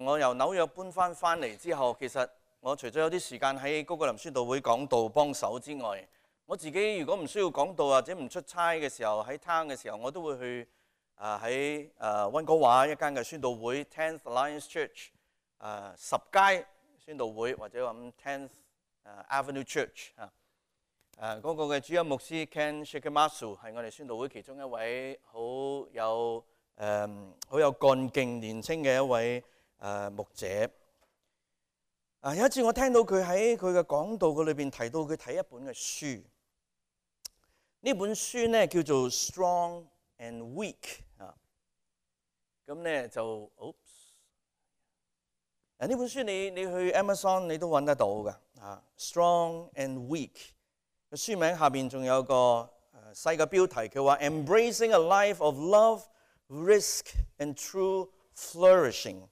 我由紐約搬翻嚟之後，其實我除咗有啲時間喺高哥林宣道會講道幫手之外，我自己如果唔需要講道或者唔出差嘅時候，喺 town 嘅時候，我都會去喺溫哥華一間嘅宣道會 Tenth Alliance Church 10街宣道會，或者話 Tenth Avenue Church 嗰個嘅主任牧師 Ken Shikamasu 係我哋宣道會其中一位好有幹勁年青嘅一位牧者。有一次我聽到佢喺佢嘅講道嘅裏邊提到佢睇一本嘅書，呢本書呢叫做 Strong and Weak 咁呢就呢本書你去 Amazon 你都揾得到㗎Strong and Weak。個書名下邊仲有個細嘅標題，佢話 Embracing a Life of Love, Risk and True Flourishing。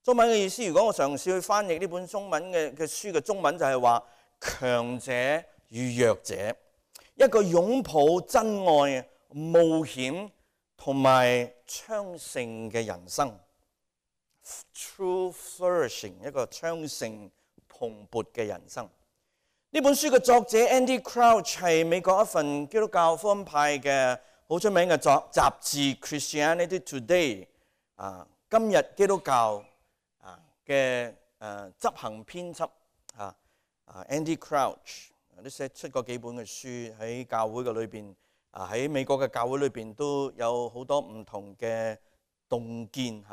中文嘅意思，如果我嘗試去翻譯呢本中文嘅書嘅中文，就係話強者與弱者，一個擁抱真愛、冒險同埋昌盛嘅人生。True Flourishing， 一個昌盛蓬勃嘅人生。呢本書嘅作者 Andy Crouch 係美國一份基督教福音派嘅好出名嘅雜誌 Christianity Today 今日基督教嘅執行編輯Andy Crouch 都寫出過幾本嘅書，喺教會嘅裏邊喺美國嘅教會裏邊都有好多唔同嘅洞見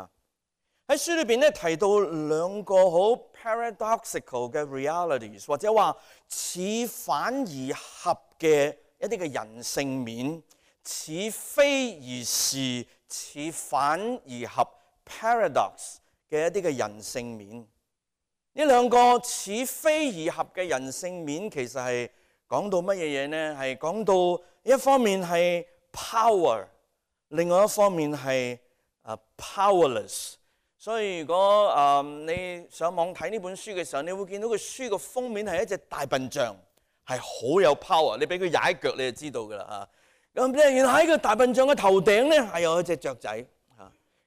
喺書裏邊咧提到兩個好 paradoxical 嘅 realities， 或者話似反而合嘅一啲嘅人性面，似非而是，似反而合 paradox 嘅一啲嘅人性面。呢兩個似非而合嘅人性面，其實係講到乜嘢嘢呢？係講到一方面係 power， 另外一方面係powerless。所以如果你上網睇呢本書嘅時候，你會見到個書個封面係一隻大笨象，係好有 power。你俾佢踩腳，你就知道㗎啦咁原來喺個大笨象嘅頭頂咧係有一隻雀仔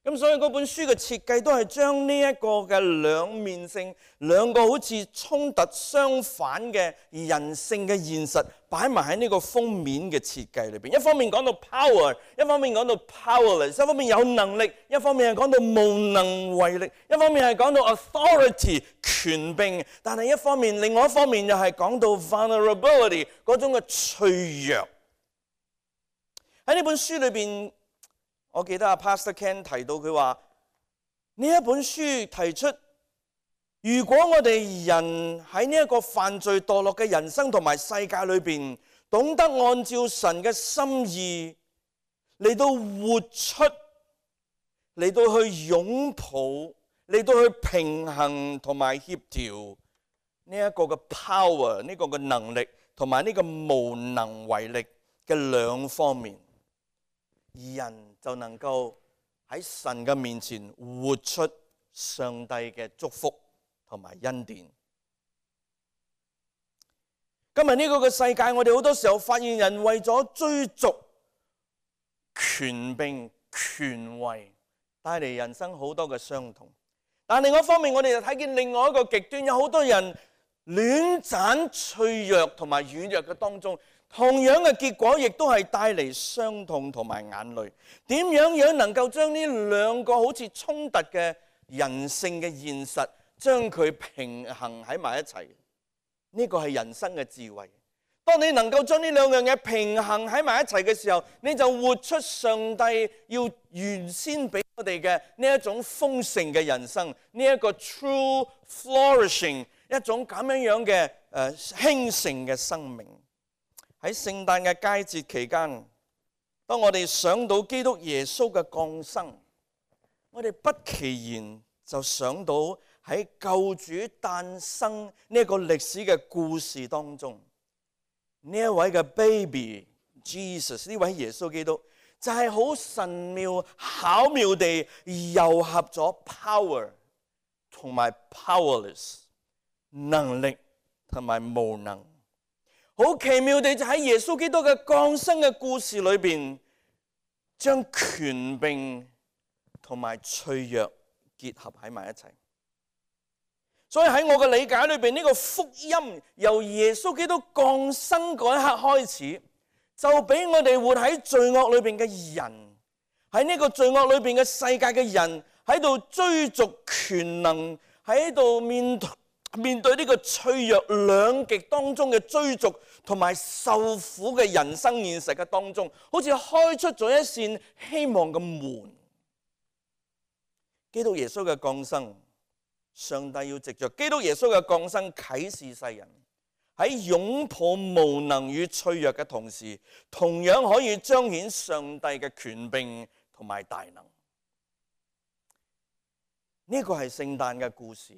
咁所以嗰本書嘅設計都係將呢一個嘅兩面性，兩個好似衝突相反嘅人性嘅現實擺埋喺呢個封面嘅設計裏邊。一方面講到 power， 一方面講到 powerless， 一方面有能力，一方面係講到無能為力，一方面係講到 authority 權柄，但係另外一方面又係講到 vulnerability 嗰種嘅脆弱。喺呢本書裏邊，我記得Pastor Ken 提到佢話呢一本書提出，如果我哋人喺呢一個犯罪墮落嘅人生同埋世界裏邊，懂得按照神嘅心意嚟到活出，嚟到去擁抱，嚟到去平衡同埋協調呢一個嘅 power， 呢個嘅能力同埋呢個無能為力嘅兩方面，人就能夠喺神嘅面前活出上帝嘅祝福同埋恩典。今日呢個嘅世界，我哋好多時候發現人為咗追逐權柄、權位，帶嚟人生好多嘅傷痛。但另外一方面，我哋就睇見另外一個極端，有好多人亂斬脆弱同埋軟弱嘅當中，同樣嘅結果亦都係帶嚟傷痛同埋眼淚。點樣能夠將呢兩個好似衝突嘅人性嘅現實，將佢平衡喺埋一齊？呢個係人生嘅智慧。當你能夠將呢兩樣嘢平衡喺埋一齊嘅時候，你就活出上帝要原先俾我哋嘅呢一種豐盛嘅人生，呢一個 true flourishing， 一種咁樣嘅興盛嘅生命。喺聖誕嘅佳節期間，當我哋想到基督耶穌嘅降生，我哋不其然就想到喺救主誕生呢一個歷史嘅故事當中，呢一位嘅 baby Jesus， 呢位耶穌基督就係好神妙巧妙地糅合咗 power 同埋 powerless， 能力同埋無能。好奇妙地就喺耶穌基督嘅降生嘅故事裏邊，將權柄同埋脆弱結合喺埋一齊。所以喺我嘅理解裏邊，呢個福音由耶穌基督降生嗰一刻開始，就俾我哋活喺罪惡裏邊嘅人，喺呢個罪惡裏邊嘅世界嘅人，喺度追逐權能，喺度面對呢個脆弱兩極當中嘅追逐同埋受苦嘅人生現實嘅當中，好似開出咗一扇希望嘅門。基督耶穌嘅降生，上帝要藉着基督耶穌嘅降生啟示世人，喺擁抱無能與脆弱嘅同時，同樣可以彰顯上帝嘅權柄同埋大能。呢個係聖誕嘅故事。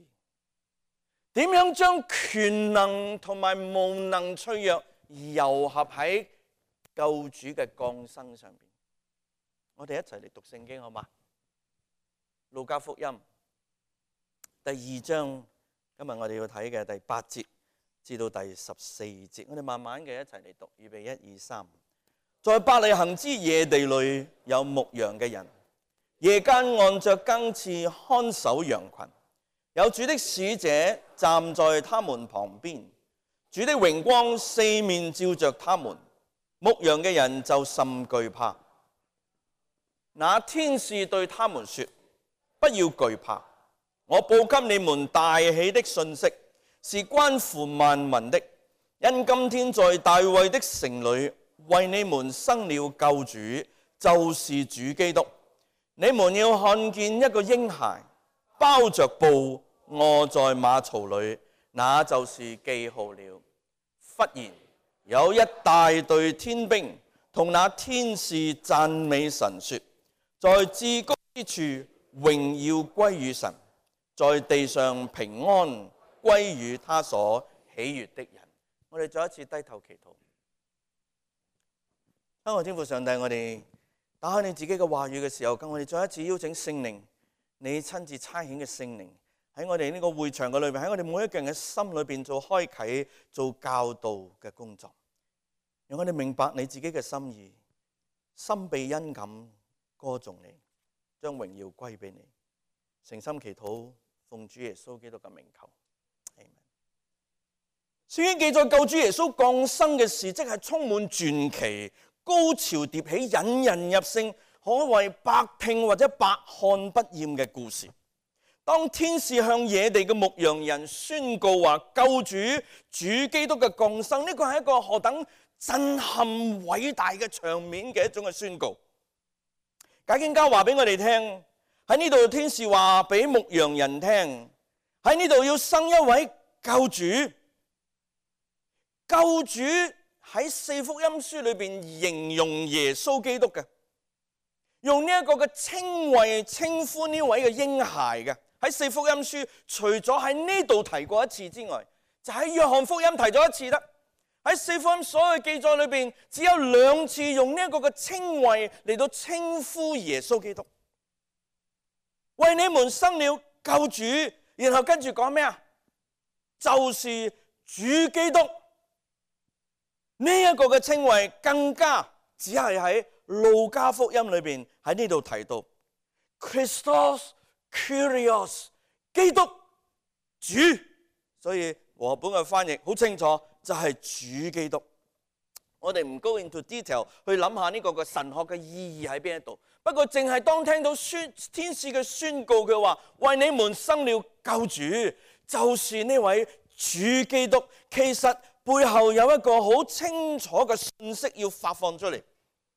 點樣將權能同埋無能脆弱糅合喺救主嘅降生上面？我哋一齊嚟讀聖經好嗎？路加福音第2章，今日我哋要睇嘅第8節至到第14節，我哋慢慢嘅一齊嚟讀，預備1、2、3。在伯利恆之野地裏有牧羊嘅人，夜間按着更次看守羊群。有主的使者站在他們旁邊，主的榮光四面照着他們，牧羊嘅人就甚懼怕。那天使對他們說：不要懼怕，我報給你們大喜的信息，是關乎萬民的。因今天在大衛的城裏為你們生了救主，就是主基督。你們要看見一個嬰孩包着布臥在馬槽裏，那就是記號了。忽然有一大隊天兵同那天使讚美神說：在至高之處榮耀歸於神，在地上平安歸於他所喜悅的人。我哋再一次低頭祈禱。親愛的天父上帝，我哋打開你自己嘅話語嘅時候，跟我哋再一次邀請聖靈，你親自差遣嘅聖靈喺我哋呢個會場嘅裏邊，喺我哋每一個人嘅心裏邊做開啟、做教導嘅工作，讓我哋明白你自己嘅心意，心被恩感歌頌你，將榮耀歸俾你。誠心祈禱，奉主耶穌基督嘅名求。聖經記載救主耶穌降生嘅事，即係充滿傳奇、高潮迭起、引人入勝，可謂百聽或者百看不厭嘅故事。當天使向野地嘅牧羊人宣告話救主基督嘅降生，呢個係一個何等震撼偉大嘅場面嘅一種嘅宣告。解經家話俾我哋聽，喺呢度天使話俾牧羊人聽，喺呢度要生一位救主。救主喺四福音書裏邊形容耶穌基督嘅，用呢一個嘅稱謂稱呼呢位嘅嬰孩嘅。喺四福音書除咗喺呢度提過一次之外，就喺約翰福音提咗一次啦。喺四福音所有記載裏邊，只有2次用呢一個嘅稱謂嚟到稱呼耶穌基督，為你們生了救主，然後跟住講咩啊？就是主基督。呢一個嘅稱謂更加只係喺路加福音裏邊喺呢度提到 Christos Kyrios 基督主，所以和合本嘅翻譯好清楚，就係主基督。我哋唔 go into detail 去諗下呢個嘅神學嘅意義喺邊一度，不過淨係當聽到天使嘅宣告，佢話為你們生了救主，就是呢位主基督。其實背後有一個好清楚嘅信息要發放出嚟。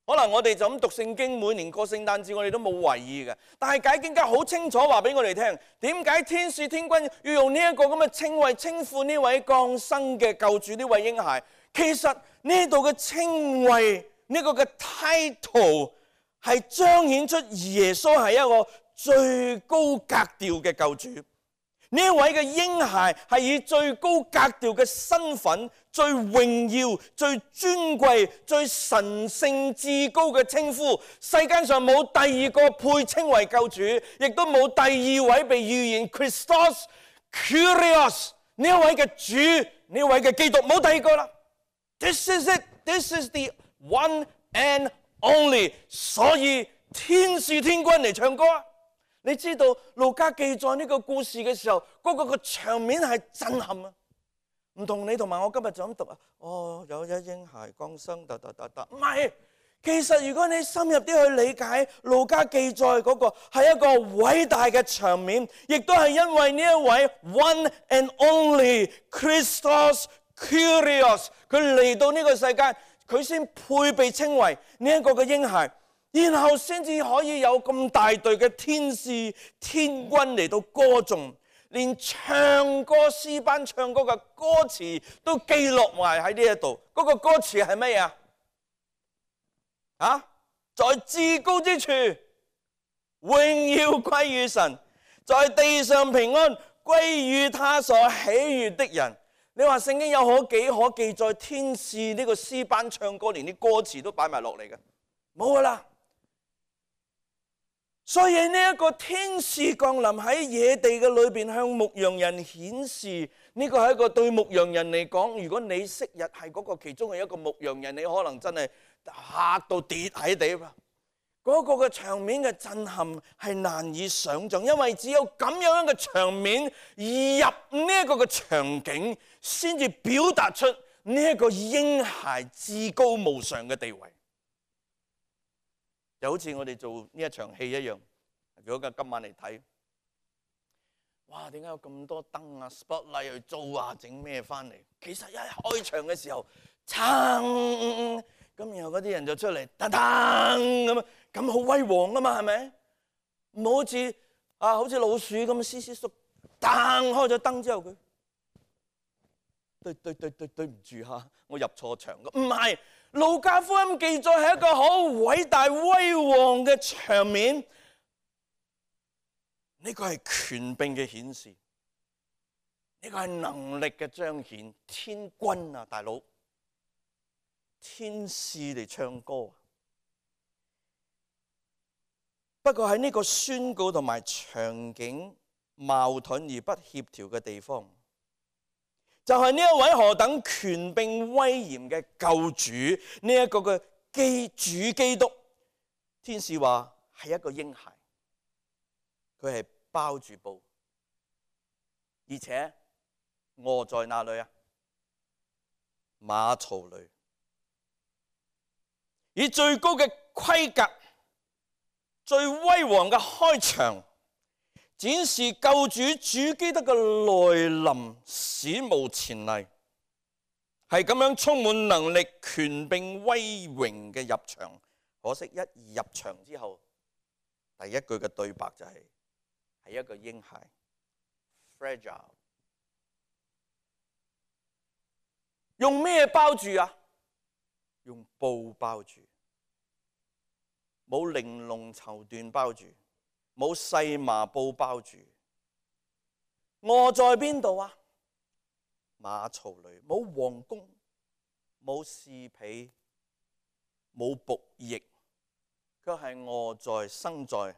可能我哋就咁讀聖經，每年過聖誕節我哋都冇為意嘅，但係解經家好清楚話俾我哋聽，點解天使天軍要用呢一個咁嘅稱謂稱呼呢位降生嘅救主，呢位嬰孩？其實呢度嘅稱謂，呢個嘅 title 係彰顯出耶穌係一個最高格調嘅救主。呢一位嘅嬰孩係以最高格調嘅身份、最榮耀、最尊貴、最神聖至高嘅稱呼，世間上冇第二個配稱為救主，亦都冇第二位被預言 Christos Kyrios 呢一位嘅主，呢一位嘅基督，冇第二個啦。This is it. This is the one and only. 所以天使天軍嚟唱歌啊！你知道路加記載呢個故事嘅時候，嗰個場面係震撼啊！唔同你同埋我今日就咁讀啊，有一嬰孩降生，唔係。其實如果你深入啲去理解路加記載嗰個係一個偉大嘅場面，亦都係因為呢一位 One and Only Christos Kyrios 佢嚟到呢個世界，佢先配備稱為呢一個嘅嬰孩，然後先至可以有咁大隊嘅天使天軍嚟到歌頌，連唱歌詩班唱歌嘅歌詞都記錄埋喺呢一度。嗰個歌詞係乜嘢啊？在至高之處，榮耀歸於神；在地上平安，歸於他所喜悅的人。你話聖經有幾可記載天使呢個詩班唱歌，連啲歌詞都擺埋落嚟嘅？冇噶啦。所以呢一個天使降臨喺野地嘅裏邊，向牧羊人顯示，呢個係一個對牧羊人嚟講，如果你昔日係嗰個其中嘅一個牧羊人，你可能真係嚇到跌喺地。嗰個嘅場面嘅震撼係難以想像，因為只有咁樣嘅場面入呢一個嘅場景，先至表達出呢一個嬰孩至高無上嘅地位。就好似我哋做呢一場戲一樣，如果今晚嚟睇，哇！點解有咁多燈啊、spotlight 去做啊、整咩翻嚟？其實一開場嘅時候，撐咁，然後嗰啲人就出嚟，噔噔咁好威煌啊嘛，係咪？唔好似老鼠咁斯斯縮，噔開咗燈之後佢，對唔住嚇，我入錯場。唔係，路加福音記載係一個好偉大威煌嘅場面，呢個係權柄嘅顯示，呢個係能力嘅彰顯。天軍啊，大佬！天使嚟唱歌，不過喺呢個宣告同埋場景矛盾而不協調嘅地方，就係呢一位何等權柄威嚴嘅救主，呢一個嘅主基督。天使話係一個嬰孩，佢係包住布，而且臥在哪裏啊？馬槽裏。以最高嘅規格、最威煌嘅開場，展示救主主基督嘅來臨，史無前例，係咁樣充滿能力、權柄、威榮嘅入場。可惜一入場之後，第一句嘅對白就係一個嬰孩 ，fragile， 用咩包住啊？用布包住，冇玲瓏綢緞包住，冇細麻布包住。臥在邊度啊？馬槽裏，冇皇宮，冇侍婢，冇僕役，卻係臥在生在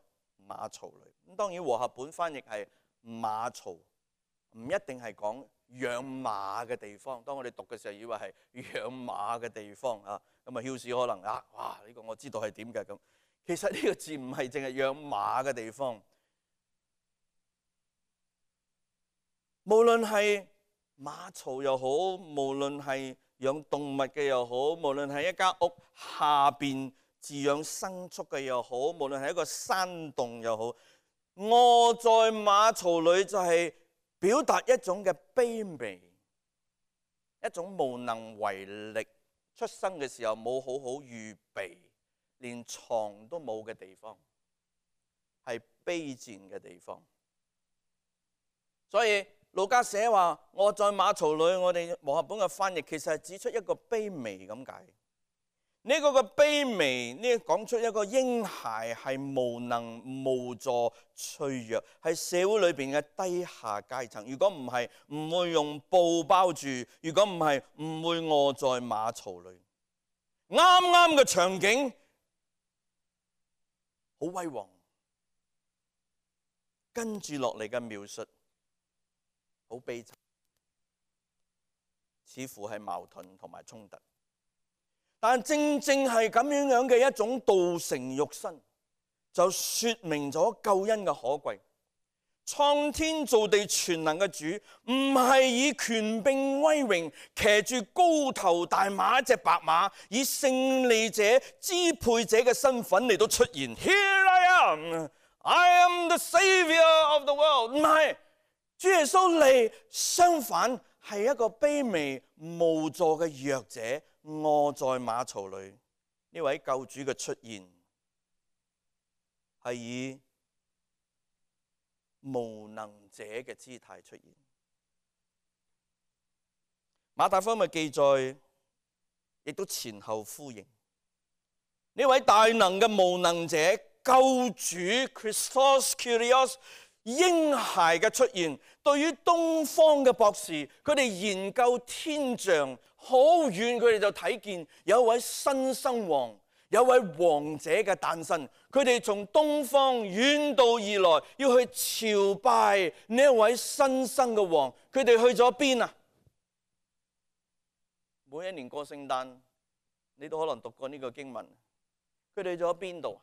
馬槽裏。咁當然和合本翻譯係馬槽，唔一定係講養馬嘅地方。當我哋讀嘅時候，以為係養馬嘅地方啊。咁啊，Hills可能哇！呢個我知道係點嘅咁。其實呢個字唔係淨係養馬嘅地方，無論係馬槽又好，無論係養動物嘅又好，無論係一間屋下邊飼養牲畜嘅又好，無論係一個山洞又好，臥在馬槽裏就係表達一種嘅卑微，一種無能為力，出生嘅時候冇好好預備，連床都冇嘅地方，係卑賤嘅地方。所以路加寫話我在馬槽裏，我哋和合本嘅翻譯其實係指出一個卑微咁解。呢個嘅卑微，呢講出一個嬰孩係無能無助脆弱，係社會裏邊嘅低下階層。如果唔係，唔會用布包住；如果唔係，唔會臥在馬槽裏。啱啱嘅場景好威煌，跟住落嚟嘅描述好悲慘，似乎係矛盾同埋衝突。但正正係咁樣嘅一種道成肉身，就說明咗救恩嘅可貴。創天造地全能嘅主，唔係以權柄威榮騎住高頭大馬一隻白馬，以勝利者支配者嘅身份嚟到出現。Here I am the Savior of the world。唔係，主耶穌嚟，相反係一個卑微無助嘅弱者，臥在馬槽裏。呢位救主嘅出現係以無能者嘅姿態出現。馬太福音嘅記載亦都前後呼應。呢位大能嘅無能者救主 Christos Kyrios 嬰孩嘅出現，對於東方嘅博士，佢哋研究天象，好遠佢哋就睇見有一位新生王，有位王者嘅誕生。佢哋從東方遠道而來，要去朝拜呢一位新生嘅王。佢哋去咗邊啊？每一年過聖誕，你都可能讀過呢個經文。佢哋去咗邊度？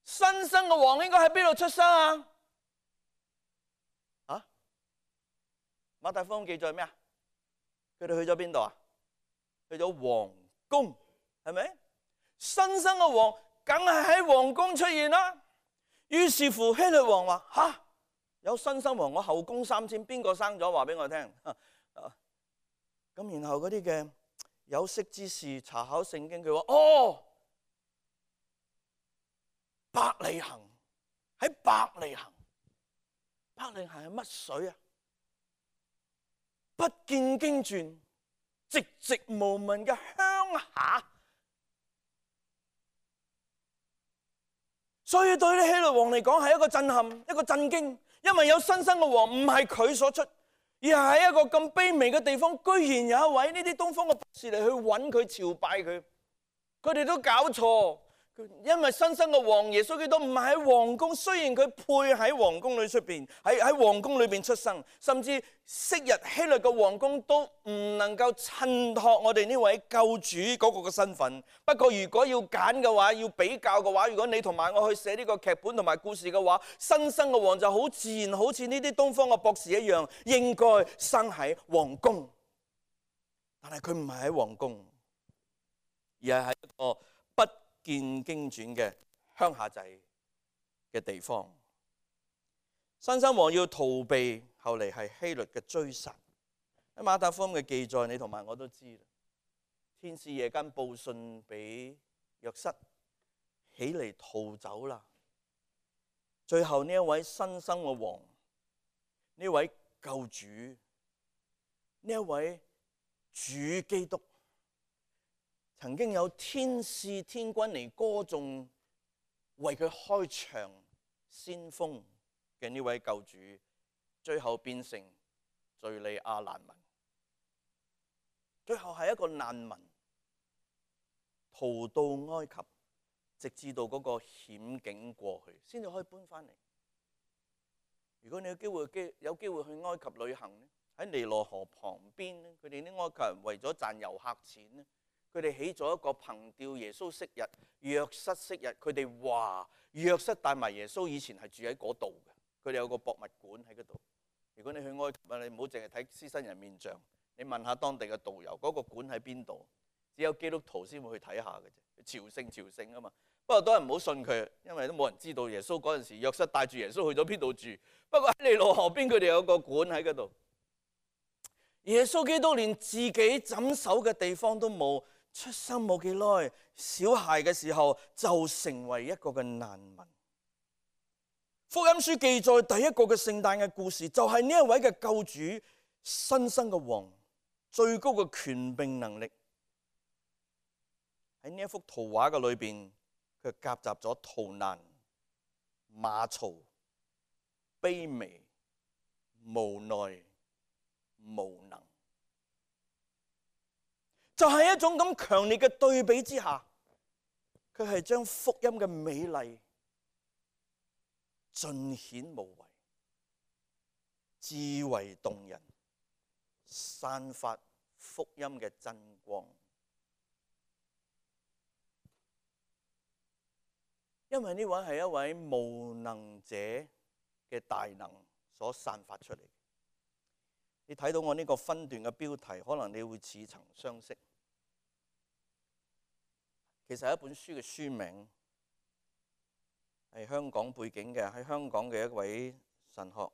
新生嘅王應該喺邊度出生啊？馬太福音記載咩啊？佢哋去咗邊度啊？去咗皇宮，係咪？新生嘅王梗係喺皇宮出現啦。於是乎希律王話：吓，有新生王，我後宮3000，邊個生咗？話俾我聽。咁然後嗰啲嘅有識之士查考聖經，佢話：哦，伯利恆，喺伯利恆。伯利恆係乜水啊？不見經傳，寂寂無聞嘅鄉下。所以對啲希律王嚟講係一個震撼，一個震驚，因為有新生嘅王唔係佢所出，而係喺一個咁卑微嘅地方，居然有一位呢啲東方嘅博士嚟去揾佢朝拜佢。佢哋都搞錯，因為新生嘅王耶穌基督唔係喺皇宮，雖然佢配喺皇宮裏出邊，喺皇宮裏邊出生，甚至昔日希律嘅皇宮都唔能夠襯托我哋呢位救主嗰個嘅身份。不過如果要揀嘅話，要比較嘅話，如果你同埋我去寫呢個劇本同埋故事嘅話，新生嘅王就好自然，好似呢啲東方嘅博士一樣，應該生喺皇宮。但係佢唔係喺皇宮，而係喺一個不見經傳嘅鄉下仔嘅地方。新生王要逃避，後嚟係希律嘅追殺。喺馬太福音嘅記載，你同埋我都知啦。天使夜間報信俾約瑟，起嚟逃走啦。最後呢一位新生嘅王，呢位救主，呢一位主基督，曾經有天使天軍嚟歌頌，為佢開場先鋒嘅呢位救主，最後變成敘利亞難民，最後係一個難民，逃到埃及，直至到嗰個險境過去，先至可以搬翻嚟。如果你有機會去埃及旅行咧，喺尼羅河旁邊咧，佢哋啲埃及人為咗賺遊客錢咧，佢哋起咗一個憑吊耶穌昔日、約瑟昔日。佢哋話約瑟帶埋耶穌以前係住喺嗰度嘅。佢哋有個博物館喺嗰度。如果你去埃及，你唔好淨係睇獅身人面像，你問下當地嘅導遊，嗰個館喺邊度？只有基督徒先會去睇下嘅啫，朝聖啊嘛。不過多人唔好信佢，因為都冇人知道耶穌嗰陣時約瑟帶住耶穌去咗邊度住。不過喺尼羅河邊，佢哋有個館喺嗰度。耶穌基督連自己枕首嘅地方都冇，出生冇幾耐，小孩嘅時候就成為一個嘅難民。福音書記載第一個嘅聖誕嘅故事，就係呢一位嘅救主，新生嘅王，最高嘅權柄能力。喺呢一幅圖畫嘅裏邊，佢夾雜咗逃難、馬槽、卑微、無奈、無能，就係一種咁強烈嘅對比之下，佢係將福音嘅美麗盡顯無遺，至為動人，散發福音嘅真光。因為呢位係一位無能者嘅大能所散發出嚟。你睇到我呢個分段嘅標題，可能你會似曾相識。其實係一本書嘅書名，係香港背景嘅，喺香港嘅一位神學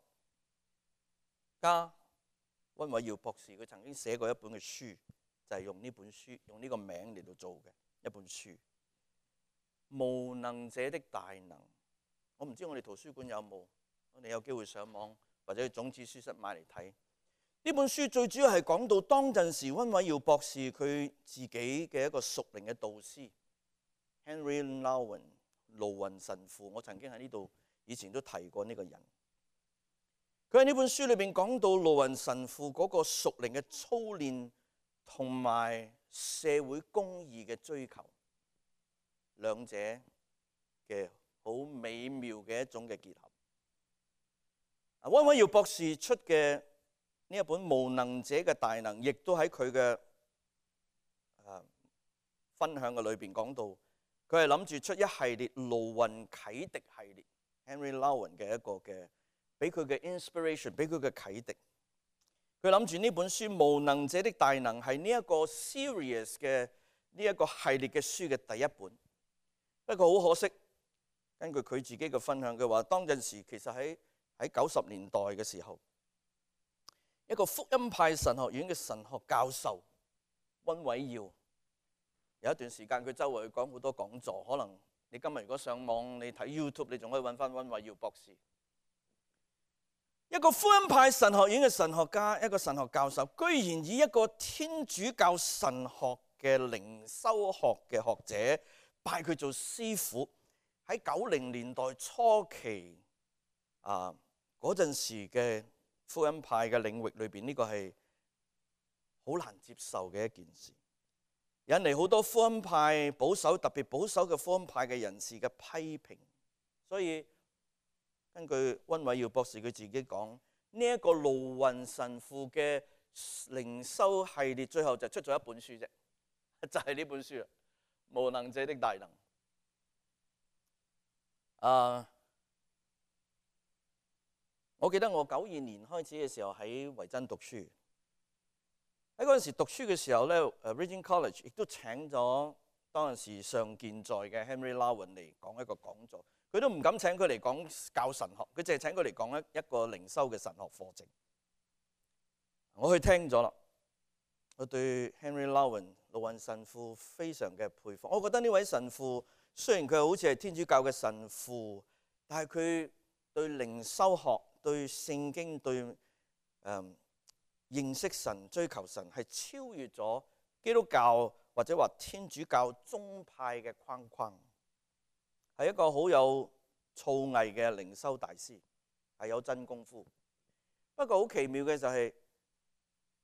家溫偉耀博士，佢曾經寫過一本嘅書，就係用呢本書，用呢個名嚟到做嘅一本書。無能者的大能，我唔知我哋圖書館有冇，我哋有機會上網或者去種子書室買嚟睇。呢本書最主要係講到當陣時溫偉耀博士佢自己嘅一個屬靈嘅導師 Henry Nouwen 盧雲神父。我曾經喺呢度以前都提過呢個人。佢喺呢本書裏邊講到盧雲神父嗰個屬靈嘅操練同埋社會公義嘅追求，兩者嘅好美妙嘅一種嘅結合。溫偉耀博士出嘅呢一本《無能者嘅大能》，亦都喺佢嘅分享嘅裏邊講到，佢係諗住出一系列盧雲啟迪系列 Henry Nouwen 嘅一個嘅，俾佢嘅 inspiration， 俾佢嘅啟迪。佢諗住呢本書《無能者的大能》係呢一個 series 嘅呢一個系列嘅書嘅第一本。不過好可惜，根據佢自己嘅分享，佢話當陣時其實喺90年代嘅時候，一個福音派神學院嘅神學教授溫偉耀，有一段時間佢周圍去講好多講座，可能你今日如果上網你睇 YouTube， 你仲可以揾翻溫偉耀博士。一個福音派神學院嘅神學家，一個神學教授，居然以一個天主教神學嘅靈修學嘅學者拜佢做師傅。喺90年代初期嗰陣時嘅福音派嘅領域裏邊，呢個係好難接受嘅一件事，引嚟好多福音派保守，特別保守嘅福音派嘅人士嘅批評。所以根據溫偉耀博士佢自己講，呢一個盧雲神父嘅靈修系列最後就出咗一本書啫，就係呢本書啦，《無能者的大能》。我記得我92年開始嘅時候喺維珍讀書，喺嗰陣時讀書嘅時候咧，Regent College 亦都請咗當陣時尚健在嘅 Henry Nouwen 嚟講一個講座。佢都唔敢請佢嚟講教神學，佢淨係請佢嚟講一個靈修嘅神學課程。我去聽咗啦，我對 Henry Nouwen 盧雲神父非常嘅佩服。我覺得呢位神父雖然佢好似係天主教嘅神父，但係佢對靈修學、對聖經、對認識神、追求神係超越咗基督教或者話天主教宗派嘅框框。係一個好有造詣嘅靈修大師，係有真功夫。不過好奇妙嘅就係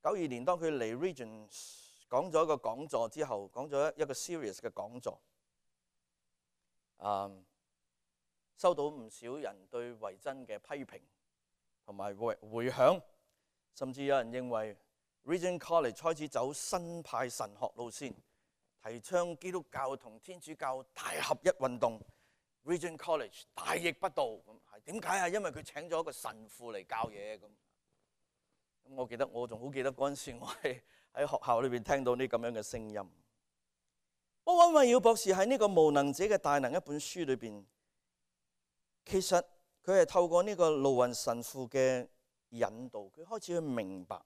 92年當佢嚟 Region 講咗一個講座之後，講咗一個 series 嘅講座，收到唔少人對維珍嘅批評同埋回響，甚至有人認為 Regent College 開始走新派神學路線，提倡基督教同天主教大合一運動。Regent College 大逆不道，咁係點解啊？因為佢請咗一個神父嚟教嘢咁。我仲好記得嗰陣時，我係喺學校裏邊聽到呢咁樣嘅聲音。溫偉耀博士喺呢個無能者嘅大能一本書裏邊，其實佢係透過呢個盧雲神父嘅引導，佢開始去明白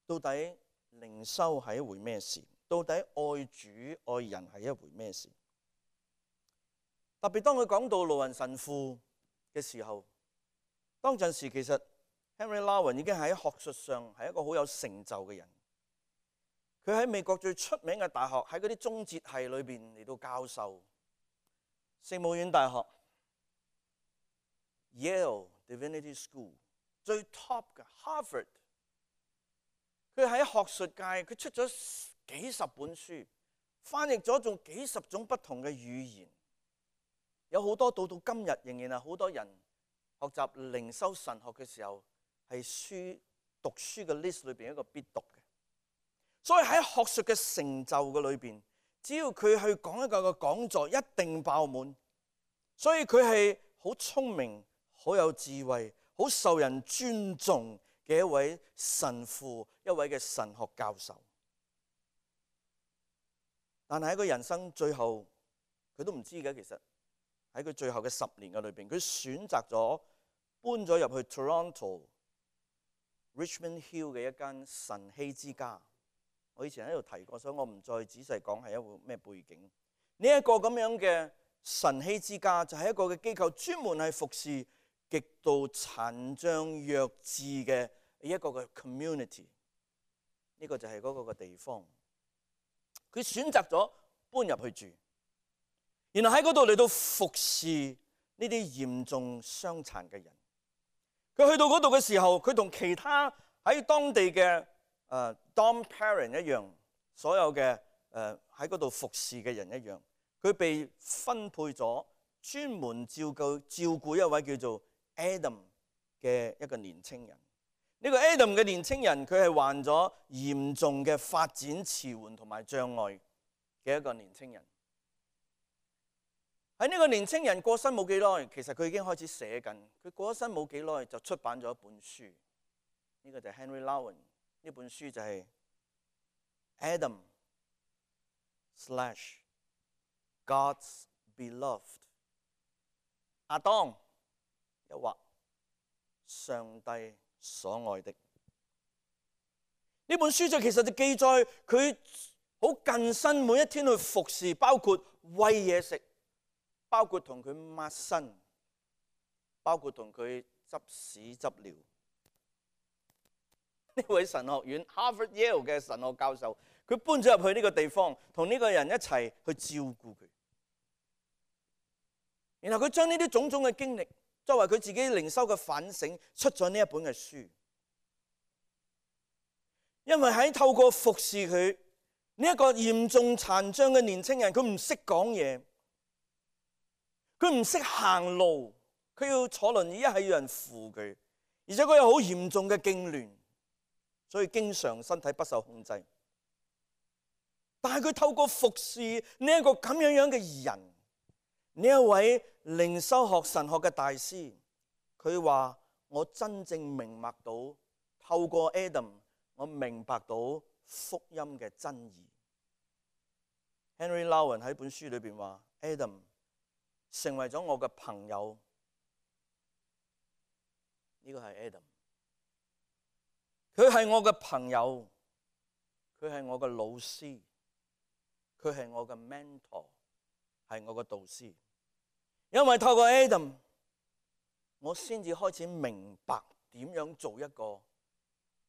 到底靈修係一回咩事，到底愛主愛人係一回咩事。特別當佢講到盧雲神父嘅時候，當陣時其實 Henry Nouwen 已經喺學術上係一個好有成就嘅人。佢喺美國最出名嘅大學，喺嗰啲宗哲系裏邊嚟到教授，聖母院大學、Yale Divinity School 最 top 嘅 Harvard。佢喺學術界，佢出咗幾十本書，翻譯咗仲幾十種不同嘅語言。有好多到今日仍然係好多人學習靈修神學嘅時候，係讀書嘅 list 裏邊一個必讀嘅。所以喺學術嘅成就嘅裏邊，只要佢去講一個講座，一定爆滿。所以佢係好聰明、好有智慧、好受人尊重嘅一位神父，一位嘅神學教授。但係喺佢人生最後，佢都唔知嘅。其實喺佢最後嘅10年嘅裏邊，佢選擇咗搬咗入去 Toronto Richmond Hill 嘅一間晨曦之家。我以前喺度提過，所以我唔再仔細講係一個咩背景。呢一個咁樣嘅晨曦之家就係一個嘅機構，專門係服侍極度殘障弱智嘅一個嘅 community。呢個就係嗰個嘅地方。佢選擇咗搬入去住，然後喺嗰度嚟到服侍呢啲嚴重傷殘嘅人。佢去到嗰度嘅時候，佢同其他喺當地嘅dorm parent 一樣，所有嘅喺嗰度服侍嘅人一樣，佢被分配咗專門照顧一位叫做 Adam 嘅一個年青人。呢個 Adam 嘅年青人，佢係患咗嚴重嘅發展遲緩同埋障礙嘅一個年青人。喺呢個年青人過身冇幾耐，其實佢已經開始寫緊。佢過咗身冇幾耐就出版咗一本書，呢個就係 Henry Nouwen。呢本書就係 Adam/God's Beloved。亞當又或上帝所愛的。呢本書就其實就記載佢好近身，每一天去服侍，包括餵嘢食，包括同佢抹身，包括同佢執屎執尿。呢位神學院 Harvard Yale 嘅神學教授，佢搬咗入去呢個地方，同呢個人一齊去照顧佢。然後佢將呢啲種種嘅經歷作為佢自己靈修嘅反省，出咗呢一本嘅書。因為喺透過服侍佢呢一個嚴重殘障嘅年青人，佢唔識講嘢，佢唔識行路，佢要坐輪椅，一係要人扶佢，而且佢有好嚴重嘅痙攣，所以經常身體不受控制。但係佢透過服侍呢一個咁樣嘅人，呢一位靈修學神學嘅大師，佢話我真正明白到，透過 Adam， 我明白到福音嘅真義。Henry Nouwen 喺本書裏邊話 Adam 成為咗我嘅朋友，呢個係 Adam， 佢係我嘅朋友，佢係我嘅老師，佢係我嘅 mentor， 係我嘅導師。因為透過 Adam， 我先至開始明白點樣做一個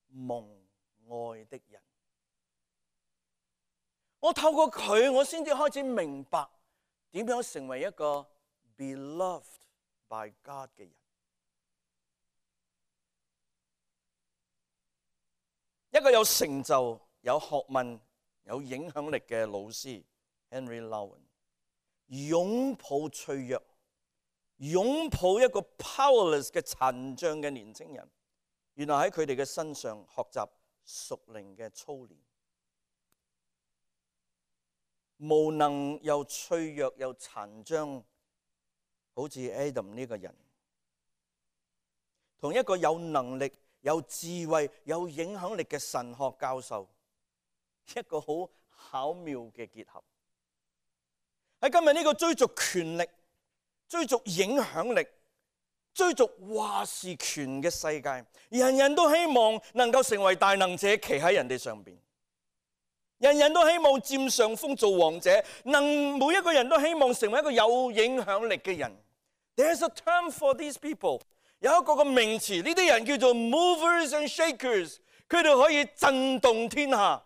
蒙愛的人。我透過佢，我先至開始明白點樣成為一個 beloved by God 嘅人。一個有成就、有學問、有影響力嘅老師 Henry Nouwen， 擁抱脆弱，擁抱一個 powerless 嘅殘障嘅年輕人，原來喺佢哋嘅身上學習屬靈嘅操練。無能又脆弱又殘障，好似 Adam 呢個人，同一個有能力、有智慧、有影響力嘅神學教授，一個好巧妙嘅結合。喺今日呢個追逐權力、追逐影響力、追逐話事權嘅世界，人人都希望能夠成為大能者，企喺人哋上邊。人人都希望佔上風做王者，每一個人都希望成為一個有影響力嘅人。There's a term for these people， 有一個嘅名詞，呢啲人叫做 movers and shakers， 佢哋可以震動天下。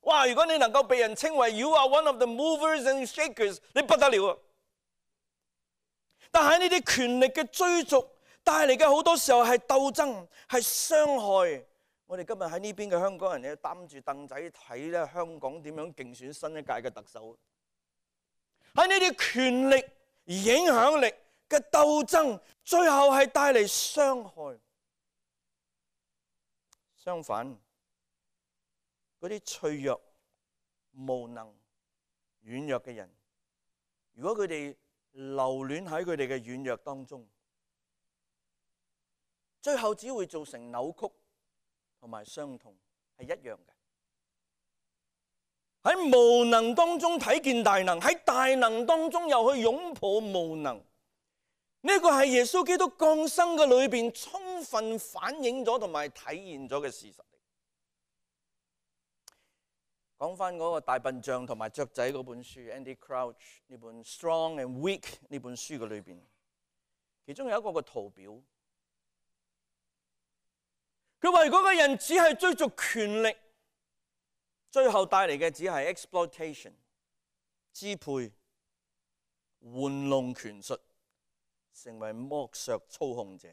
哇！如果你能夠被人稱為 You are one of the movers and shakers， 你不得了啊！但係呢啲權力嘅追逐帶嚟嘅好多時候係鬥爭，係傷害。我哋今日喺呢邊嘅香港人咧，擔住凳仔睇咧香港點樣競選新一屆嘅特首。喺呢啲權力、影響力嘅鬥爭，最後係帶嚟傷害。相反，嗰啲脆弱、無能、軟弱嘅人，如果佢哋留戀喺佢哋嘅軟弱當中，最後只會造成扭曲同埋傷痛，係一樣嘅。喺無能當中睇見大能，喺大能當中又去擁抱無能，呢個係耶穌基督降生嘅裏邊充分反映咗同埋體現咗嘅事實。講翻嗰個大笨象同埋雀仔嗰本書 ，Andy Crouch 呢本《Strong and Weak》呢本書嘅裏邊，其中有一個個圖表，佢話嗰個人只係追逐權力，最後帶嚟嘅只係 exploitation 支配、玩弄權術，成為剝削操控者。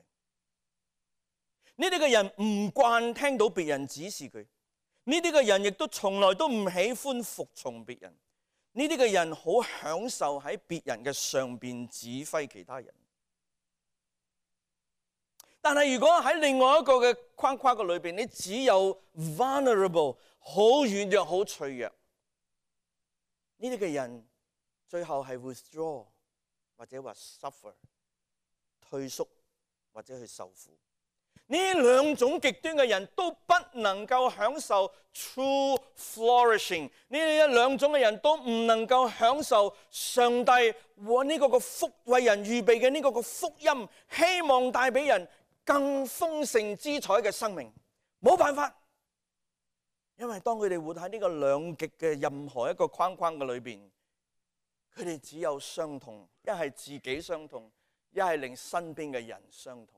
呢啲嘅人唔慣聽到別人指示佢。呢啲嘅人亦都從來都唔喜歡服從別人，呢啲嘅人好享受喺別人嘅上邊指揮其他人。但係如果喺另外一個嘅框框嘅裏邊，你只有 vulnerable 好軟弱、好脆弱，呢啲嘅人最後係 withdraw 或者話 suffer 退縮或者去受苦。呢兩種極端嘅人都不能夠享受 true flourishing， 呢兩種嘅人都唔能夠享受上帝和呢個福為人預備嘅呢個福音，希望帶俾人更豐盛之彩嘅生命。冇辦法，因為當佢哋活喺呢個兩極嘅任何一個框框嘅裏邊，佢哋只有傷痛，一係自己傷痛，一係令身邊嘅人傷痛。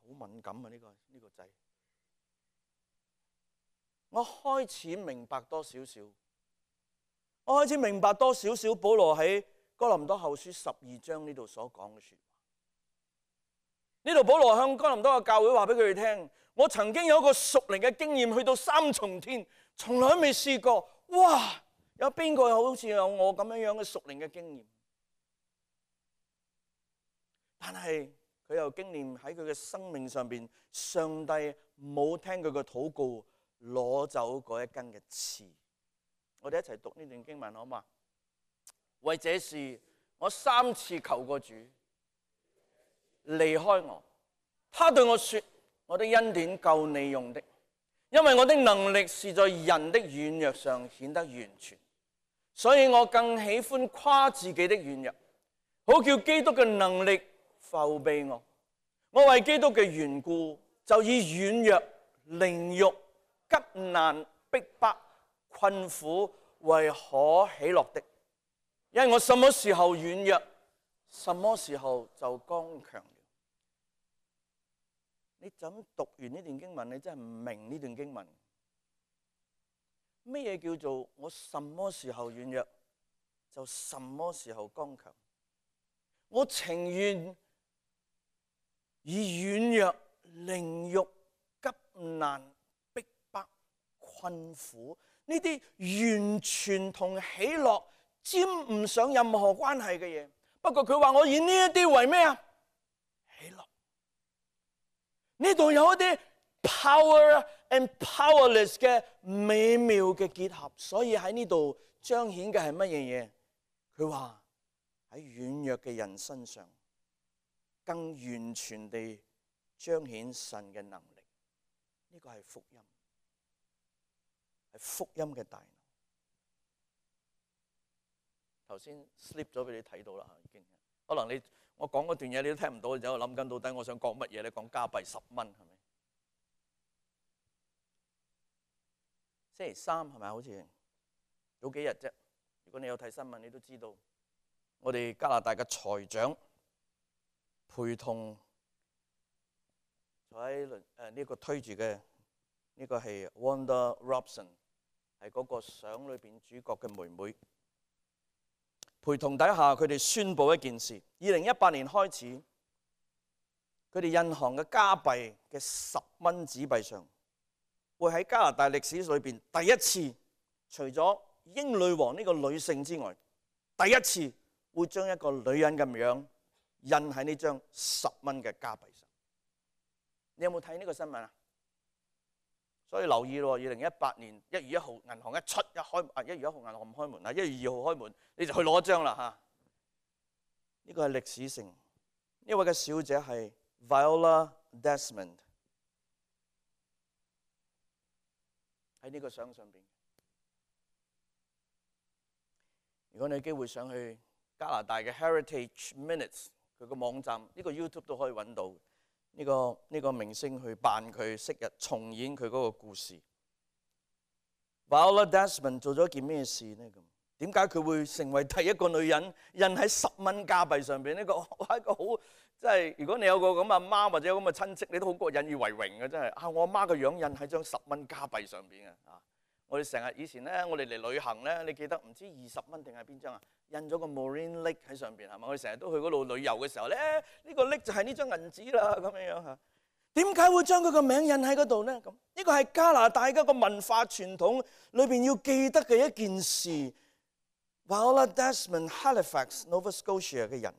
好敏感啊！呢個掣，我開始明白多少少。我開始明白多少少保羅喺哥林多後書12章呢度所講嘅說話。呢度保羅向哥林多嘅教會話俾佢哋聽：我曾經有一個屬靈嘅經驗，去到3重天，從來未試過。哇！有邊個好似有我咁樣嘅屬靈嘅經驗？但係佢又經驗喺佢嘅生命上邊，上帝冇聽佢嘅禱告，攞走嗰一根嘅刺。我哋一齊讀呢段經文好嗎？為這事，我3次求過主離開我。他對我說：我的恩典夠你用的，因為我的能力是在人的軟弱上顯得完全。所以我更喜歡誇自己的軟弱，好叫基督嘅能力覆庇我。我為基督嘅緣故，就以軟弱、凌辱、急難、逼迫、困苦為可喜樂的，因為我什麼時候軟弱，什麼時候就剛強了。你就咁讀完呢段經文，你真係唔明呢段經文。咩嘢叫做我什麼時候軟弱，就什麼時候剛強？我情願以軟弱、凌辱、急難、逼迫、困苦呢啲完全同喜樂沾唔上任何關係嘅嘢。不過佢話我以呢一啲為咩啊？喜樂。呢度有一啲 power and powerless 嘅美妙嘅結合，所以喺呢度彰顯嘅係乜嘢嘢？佢話喺軟弱嘅人身上，更完全地彰顯神嘅能力。呢個係福音，係福音嘅大能。頭先 slip 咗俾你睇到啦，已經。可能我講嗰段嘢你都聽唔到，你就諗緊到底我想講乜嘢咧？講加幣10蚊係咪？星期3係咪？好似早幾日啫。如果你有睇新聞，你都知道我哋加拿大嘅財長陪同坐喺呢個推住嘅呢個係 Wanda Robson， 係嗰個相裏邊主角嘅妹妹。陪同底下，佢哋宣布一件事：2018年開始，佢哋印行嘅加幣嘅10蚊紙幣上，會喺加拿大歷史裏邊第一次，除咗英女王呢個女性之外，第一次會將一個女人嘅樣印喺呢張10蚊嘅加幣上。你有冇睇呢個新聞啊？所以留意咯，2018年1月1號銀行1月1號銀行唔開門，1月2號開門，你就去攞一張啦嚇。呢個係歷史性。呢位嘅小姐係 Viola Desmond， 喺呢個相上邊。如果你有機會上去加拿大嘅 Heritage Minutes 佢個網站，呢個 YouTube 都可以揾到。呢個明星去扮佢昔日重演佢嗰個故事。Viola Desmond 做咗件咩事呢？咁點解佢會成為第一個女人印喺10蚊加幣上邊？呢個係一個好，即係如果你有個咁阿媽或者有咁嘅親戚，你都好過引以為榮嘅，真係。我阿媽個樣印喺張10蚊加幣上邊啊！我哋成日以前咧，我哋嚟旅行咧，你記得唔知20蚊定係邊張啊？印咗個 Marine Lake 喺上邊係嘛？我哋成日都去嗰度旅遊嘅時候咧，呢個 Lake 就係呢張銀紙啦，咁樣樣嚇。點解會將佢個名印喺嗰度呢？咁呢個係加拿大一個文化傳統裏邊要記得嘅一件事。Viola Desmond Halifax Nova Scotia 嘅人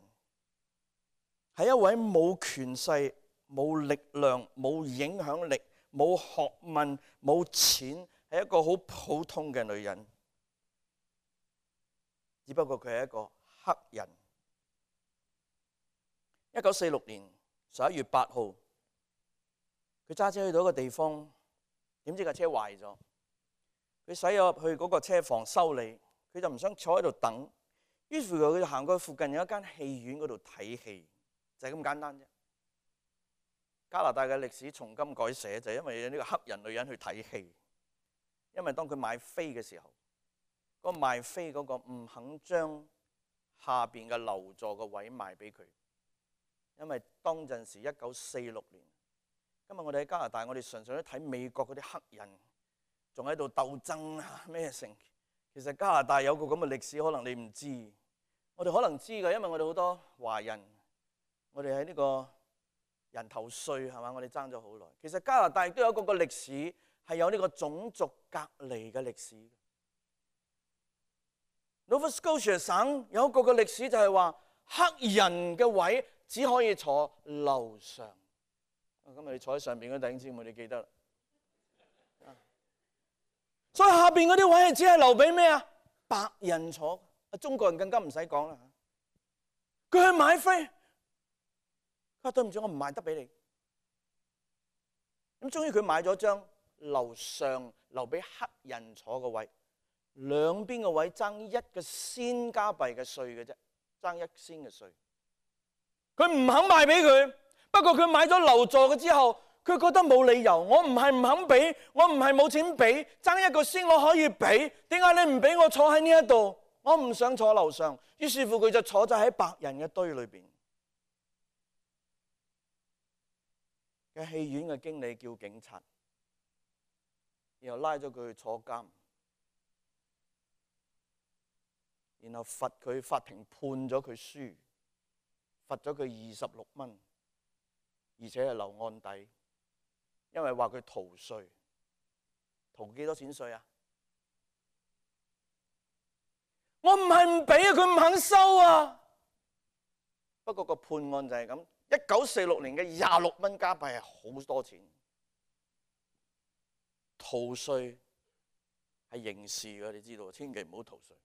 係一位冇權勢、冇力量、冇影響力、冇學問、冇錢，係一個好普通嘅女人。只不過佢係一個黑人。1946年11月8號，佢揸車去到一個地方，點知架車壞咗。佢駛入去嗰個車房修理，佢就唔想坐喺度等，於是佢就行過去附近有一間戲院嗰度睇戲，就係咁簡單啫。加拿大嘅歷史從今改寫，就係因為有呢個黑人女人去睇戲。因為當佢買飛嘅時候，嗰個賣飛嗰個唔肯將下邊嘅樓座個位賣俾佢，因為當陣時1946年。今日我哋喺加拿大，我哋常常都睇美國嗰啲黑人仲喺度鬥爭啊咩成。其實加拿大有個咁嘅歷史，可能你唔知。我哋可能知㗎，因為我哋好多華人，我哋喺呢個人頭稅係嘛，我哋爭咗好耐。其實加拿大亦都有一個歷史，係有呢個種族隔離嘅歷史。Nova Scotia 省有一個嘅歷史就係話，黑人嘅位只可以坐樓上。今日你坐喺上邊嗰啲弟兄姊妹，你記得啦。所以下邊嗰啲位係只係留俾咩啊？白人坐。中國人更加唔使講啦。佢去買飛，佢話對唔住，我唔賣得俾你。咁終於佢買咗張樓上留俾黑人坐嘅位，兩邊嘅位爭1個仙加幣嘅稅嘅啫，爭1仙嘅稅。佢唔肯賣俾佢。不過佢買咗樓座嘅之後，佢覺得冇理由，我唔係唔肯俾，我唔係冇錢俾，爭1個仙我可以俾，點解你唔俾我坐喺呢一度？我唔想坐樓上，於是乎佢就坐咗喺白人嘅堆裏邊。嘅戲院嘅經理叫警察，然後拉咗佢去坐監，然後罰佢，法庭判咗佢輸，罰咗佢26蚊。而且係留案底，因為話佢逃稅，逃幾多錢稅啊？我唔係唔俾啊，佢唔肯收啊。不過個判案就係咁，1946年嘅26蚊加幣係好多錢。逃稅係刑事嘅，你知道，千祈唔好逃稅。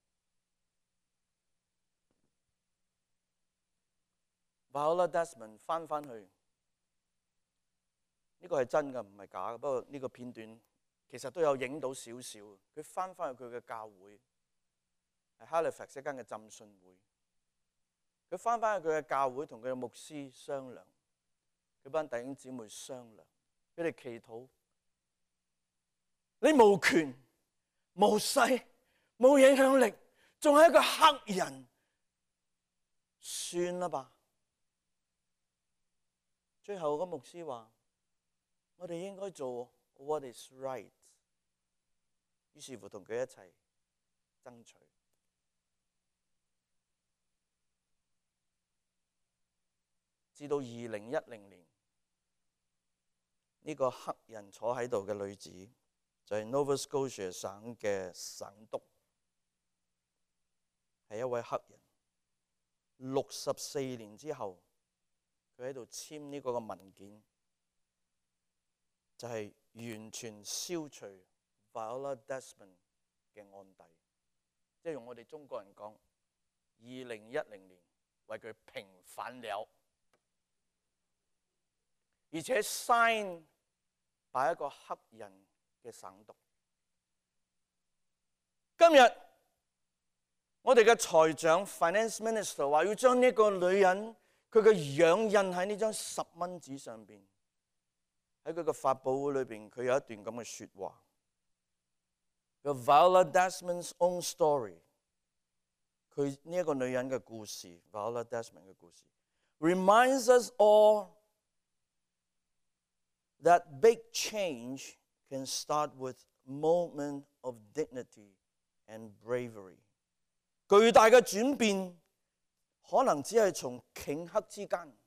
Viola Desmond 翻去。呢個係真嘅，唔係假嘅。不過呢個片段其實都有影到少少。佢翻去佢嘅教會，係 Halifax 一間嘅浸信會。佢翻去佢嘅教會，同佢嘅牧師商量，佢班弟兄姊妹商量，佢哋祈禱。你無權、無勢、冇影響力，仲係一個黑人，算啦吧。最後個牧師話：我哋應該做 what is right。於是乎同佢一齊爭取。至到2010年，呢個黑人坐喺度嘅女子就係 Nova Scotia 省嘅省督，係一位黑人。64年之後，佢喺度簽呢個文件。就係完全消除 Viola Desmond 嘅案底，即係用我哋中國人講，2010年為佢平反了，而且 sign 擺一個黑人嘅省獨。今日我哋嘅財長 Finance Minister 話要將呢個女人佢嘅樣印喺呢張10蚊紙上邊。喺佢嘅發佈會裏邊，佢有一段咁嘅説話。個 Viola Desmond's own story， 佢呢一個女人嘅故事 ，Viola Desmond 嘅故事 ，reminds us all that big change can start with moment of dignity and bravery。巨大嘅轉變可能只係從頃刻之間，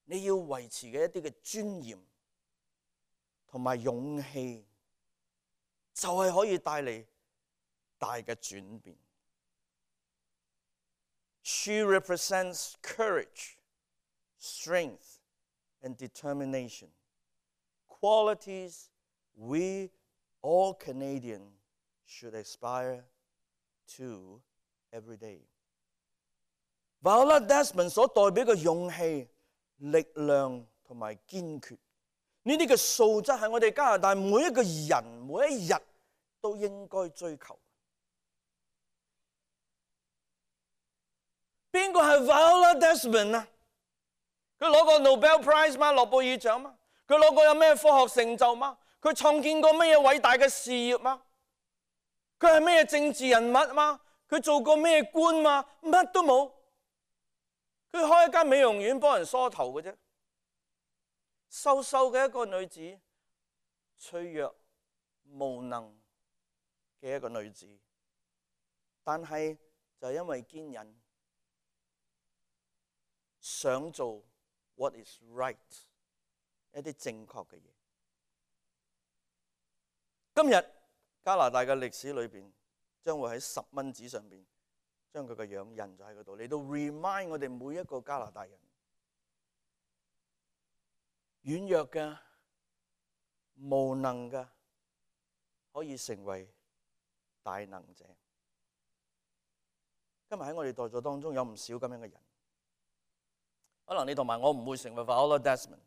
你要維持嘅一啲嘅尊嚴同埋勇氣，就係可以帶嚟大嘅轉變。She represents courage, strength, and determination, qualities we all Canadians should aspire to every day. Viola Desmond 所代表嘅勇氣、力量同埋堅決，呢啲嘅素質係我哋加拿大每一個人每一日都應該追求。邊個係 Viola Desmond 啊？佢攞過 Nobel Prize 嗎？諾貝爾獎嗎？佢攞過有咩科學成就嗎？佢創建過咩偉大嘅事業嗎？佢係咩政治人物嗎？佢做過咩官嗎？乜都冇。佢開一間美容院幫人梳頭嘅啫。瘦瘦嘅一個女子，脆弱無能嘅一個女子，但係就因為堅忍，想做 what is right， 一啲正確嘅嘢。今日加拿大嘅歷史裏邊，將會喺10蚊紙上邊將佢嘅樣印咗喺嗰度，嚟到 remind 我哋每一個加拿大人，軟弱嘅、無能嘅，可以成為大能者。今日喺我哋在座當中有唔少咁樣嘅人，可能你同埋我唔會成為 Viola Desmond，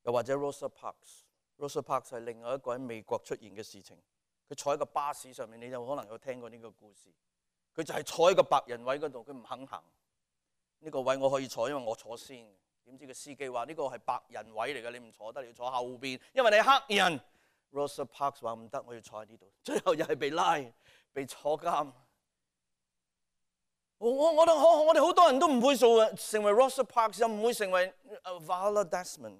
又或者 Rosa Parks。Rosa Parks 係另外一個喺美國出現嘅事情。佢坐喺個巴士上面，你就可能有聽過呢個故事。佢就係坐喺個白人位嗰度，佢唔肯行。呢個位我可以坐，因為我坐先。點知個司機話呢個係白人位嚟嘅，你唔坐得，你要坐後邊，因為你係黑人。Rosa Parks 話唔得，我要坐喺呢度。最後又係被拉，被坐監。我哋好多人都唔會成為 Rosa Parks， 又唔會成為 Viola Desmond。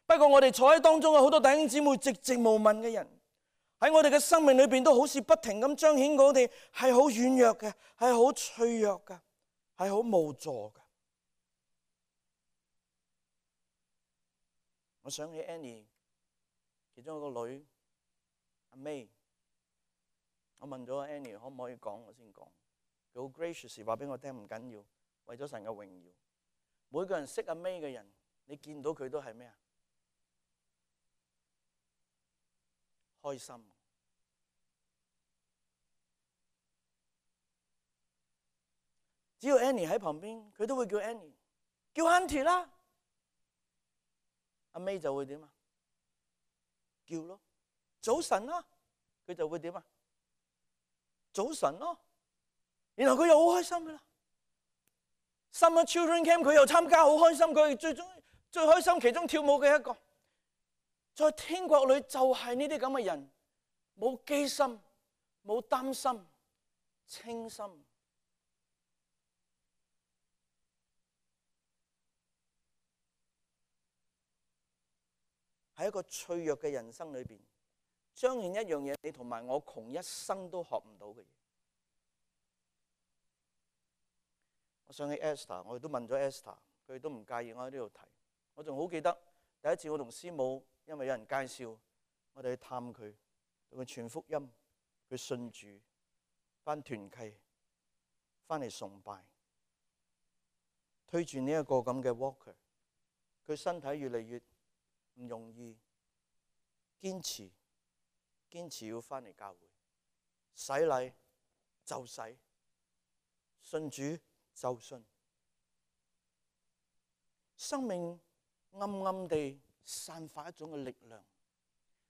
不過我哋坐喺當中嘅好多弟兄姊妹寂寂無聞嘅人，喺我哋嘅生命裏邊都好似不停咁彰顯我哋係好軟弱嘅，係好脆弱嘅，係好無助嘅。我想起 Annie 其中一個女阿 May， 我問咗 Annie 可唔可以講，我先講。佢好 gracious 話俾我聽，唔緊要，為咗神嘅榮耀。每個人識阿 May 嘅人，你見到佢都係咩啊？開心。只要 Annie 喺旁邊，佢都會叫 Annie， 叫 Auntie 啦。阿 May 就會點啊？叫咯，早晨啦，佢就會點啊？早晨咯，然後佢又好開心噶啦。Summer Children Camp 佢又參加，好開心，佢最開心其中跳舞嘅一個。在天國裏就係呢啲咁嘅人，冇機心，冇擔心，清心。喺一個脆弱嘅人生裏邊，彰顯一樣嘢，你同埋我窮一生都學唔到嘅嘢。我想起 Esther， 我哋都問咗 Esther， 佢哋都唔介意我喺呢度提。我仲好記得第一次我同師母，因為有人介紹，我哋去探佢，同佢傳福音，佢信主，返團契，返嚟崇拜，推住呢一個咁嘅 walker， 佢身體越嚟越唔容易，堅持要返嚟教會，洗禮就洗，信主就信，生命暗暗地散發一種嘅力量，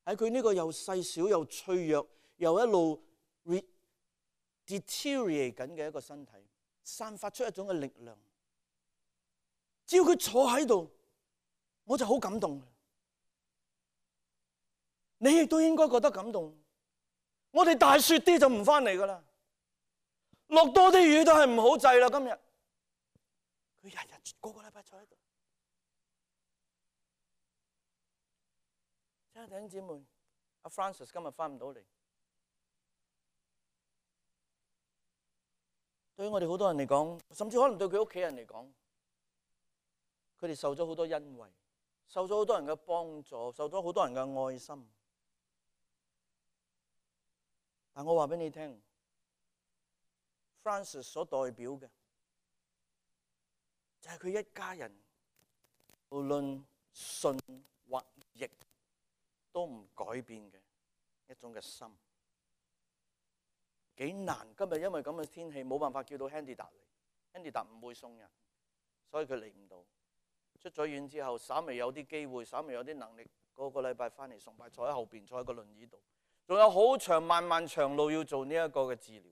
喺佢呢個又細小又脆弱又一路 deteriorate 緊嘅一個身體，散發出一種嘅力量。只要佢坐喺度，我就好感動。你亦都應該覺得感動。我哋大雪啲就唔返嚟噶啦，落多啲雨都係唔好制啦。今日佢日日個禮拜坐喺度。親愛的弟兄姊妹，阿 Francis 今日返唔到嚟，對於我哋好多人嚟講，甚至可能對佢屋企人嚟講，佢哋受咗好多恩惠，受咗好多人嘅幫助，受咗好多人嘅愛心。但我話俾你聽 ，Francis 所代表嘅就係佢一家人，無論順或逆，都唔改變嘅一種嘅心。幾難！今日因為咁嘅天氣，冇辦法叫到 Handy 達嚟 ，Handy 達唔會送人，所以佢嚟唔到。出咗院之後，稍微有啲機會，稍微有啲能力，個禮拜返嚟崇拜，坐喺後邊，坐喺個輪椅度。仲有好長漫漫長路要做呢一個嘅治療，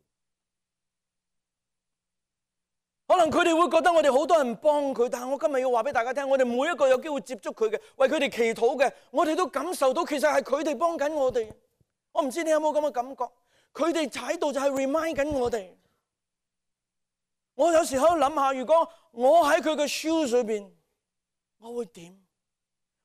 可能佢哋會覺得我哋好多人幫佢，但係我今日要話俾大家聽，我哋每一個有機會接觸佢嘅，為佢哋祈禱嘅，我哋都感受到其實係佢哋幫緊我哋。我唔知你有冇咁嘅感覺？佢哋喺度就係 remind 緊我哋。我有時喺度諗下，如果我喺佢嘅 shoes 裏邊，我會點？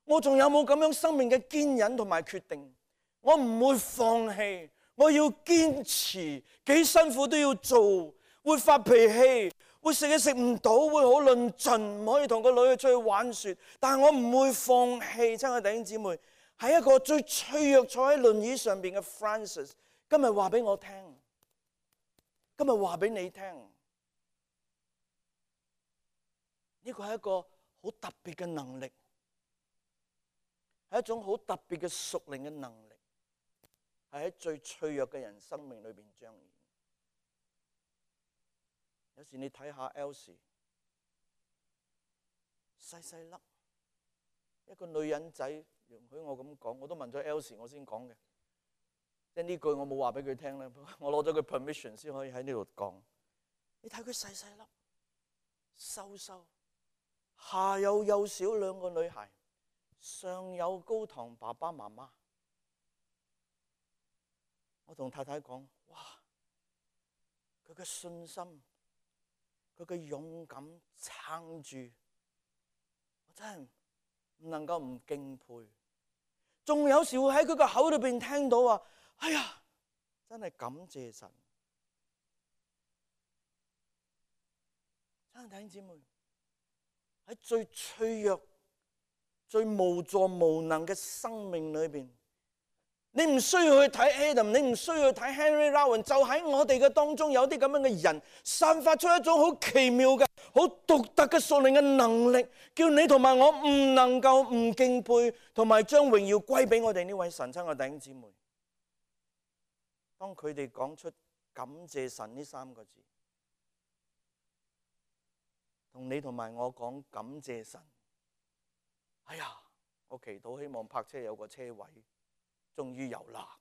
我仲有冇咁樣生命嘅堅忍同埋決定？我唔會放棄，我要堅持，幾辛苦都要做。會發脾氣，會食嘢食唔到，會好論盡，唔可以同個女去出去玩雪。但係我唔會放棄。親愛的弟兄姊妹，係一個最脆弱坐喺輪椅上邊嘅 Francis， 今日話俾我聽，今日話俾你聽，呢個係一個好特別嘅能力，係一種好特別嘅屬靈嘅能力。係喺最脆弱嘅人生命裏邊彰顯。有時你睇下 Elsie， 細細粒一個女人仔，容許我咁講，我都問咗 Elsie 我先講嘅，即係呢句我冇話俾佢聽咧，我攞咗佢 permission 先可以喺呢度講。你睇佢細細粒，瘦瘦，下有幼小兩個女孩，上有高堂爸爸媽媽。我同太太講，哇！佢嘅信心，佢嘅勇敢撐住，我真係唔能夠唔敬佩。仲有時會喺佢個口裏邊聽到話，哎呀，真係感謝神。親愛的弟兄姊妹，喺最脆弱、最無助無能嘅生命裏邊，你唔需要去睇 Adam， 你唔需要去睇 Henry Rowan， 就喺我哋嘅當中有啲咁樣嘅人，散發出一種好奇妙嘅、好獨特嘅屬靈嘅能力，叫你同埋我唔能夠唔敬佩，同埋將榮耀歸俾我哋呢位神。親愛嘅弟兄姊妹，當佢哋講出感謝神呢三個字，同你同埋我講感謝神，哎呀，我祈禱希望泊車有個車位。終於有啦，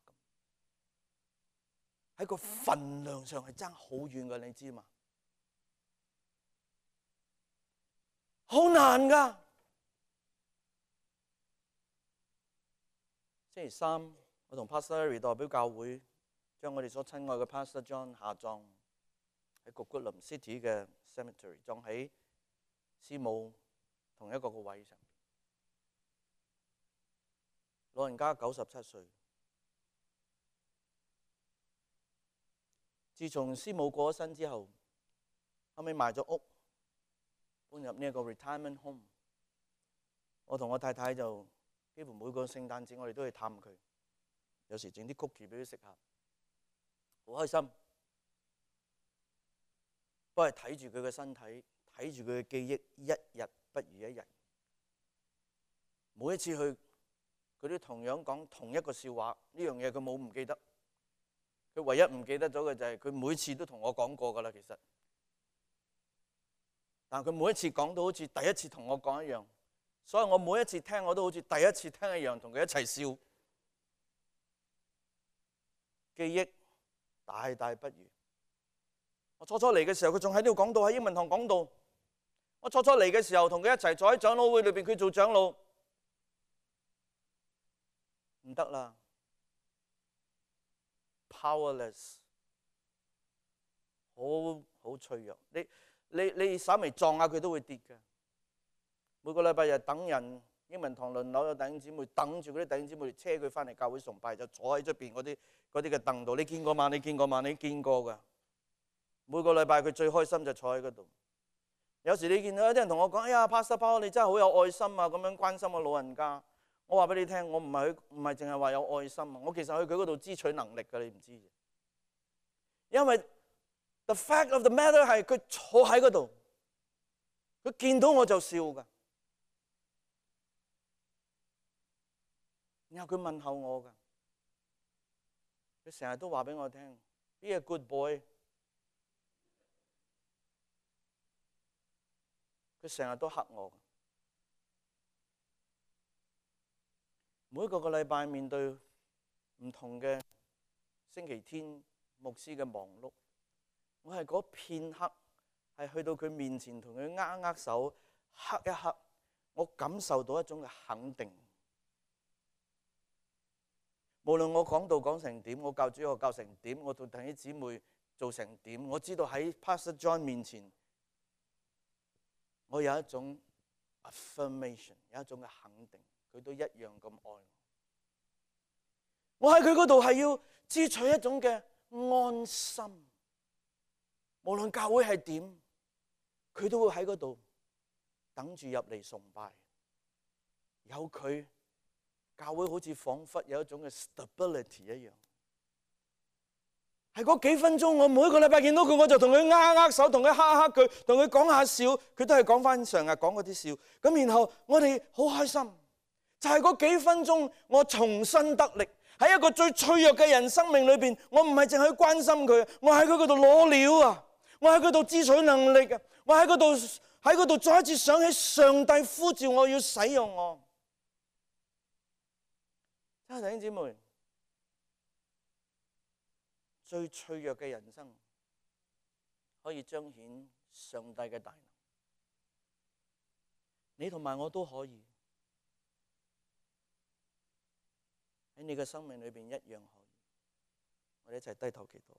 喺個份量上係爭好遠嘅，你知嘛？好難噶。星期三，我同 Pastor Larry 代表教會，將我哋所親愛嘅 Pastor John 下葬喺谷骨林 City 嘅 Cemetery， 葬喺師母同一個位上。老人家97歲，自從師母過咗身之後，後尾賣咗屋，搬入呢一個 retirement home。我同我太太就幾乎每個聖誕節我哋都去探佢，有時整啲 cookie 俾佢食下，好開心。不過睇住佢嘅身體，睇住佢嘅記憶，一日不如一日。每一次去佢都同樣講同一個笑話，呢樣嘢佢冇唔記得。佢唯一唔記得咗嘅就係佢每次都同我講過㗎啦，其實。但佢每一次講到好似第一次同我講一樣，所以我每一次聽我都好似第一次聽一樣，同佢一齊笑。記憶大大不如。我初初嚟嘅時候，佢仲喺呢度講道，喺英文堂講道。我初初嚟嘅時候，同佢一齊坐喺長老會裏邊，佢做長老。唔得啦 ，powerless， 好脆弱。你稍微撞下佢都會跌嘅。每個禮拜日等人，英文堂輪流有弟兄姊妹等住嗰啲弟兄姊妹車佢翻嚟教會崇拜，就坐喺出邊嗰啲嘅凳度。你見過嘛？你見過嘛？你見過㗎。每個禮拜佢最開心就坐喺嗰度。有時你見到有啲人同我講：哎呀 Pastor Paul， 你真係好有愛心啊！咁樣關心個老人家。我話俾你聽，我唔係淨係話有愛心啊！我其實去佢嗰度支取能力㗎，你唔知。因為 the fact of the matter 係佢坐喺嗰度，佢見到我就笑㗎。然後佢問候我㗎，佢成日都話俾我聽 ：Be a good boy。佢成日都黑我。每個禮拜面對唔同嘅星期天牧師嘅忙碌，我係嗰片刻係去到佢面前同佢握手，黑一刻，我感受到一種嘅肯定。無論我講道講成點，我教主學教成點，我同弟兄姊妹做成點，我知道喺 Pastor John 面前，我有一種 affirmation， 有一種嘅肯定，佢都一樣咁愛我。我喺佢嗰度係要支取一種嘅安心，無論教會係點，佢都會喺嗰度等住入嚟崇拜。有佢，教會好似彷彿有一種嘅 stability 一樣。係嗰幾分鐘，我每一個禮拜見到佢，我就同佢握手，同佢哈佢，同佢講下笑，佢都係講翻上日講嗰啲笑。咁然後我哋好開心，就係嗰幾分鐘，我重新得力。喺一個最脆弱嘅人生命裏邊，我唔係淨係去關心佢，我喺佢嗰度攞料啊！我喺佢度支取能力啊！我喺嗰度再一次想起上帝呼召我要使用我。弟兄姊妹，最脆弱嘅人生可以彰顯上帝嘅大能，你同埋我都可以喺你嘅生命裏邊一樣可以。我哋一齊低頭祈禱。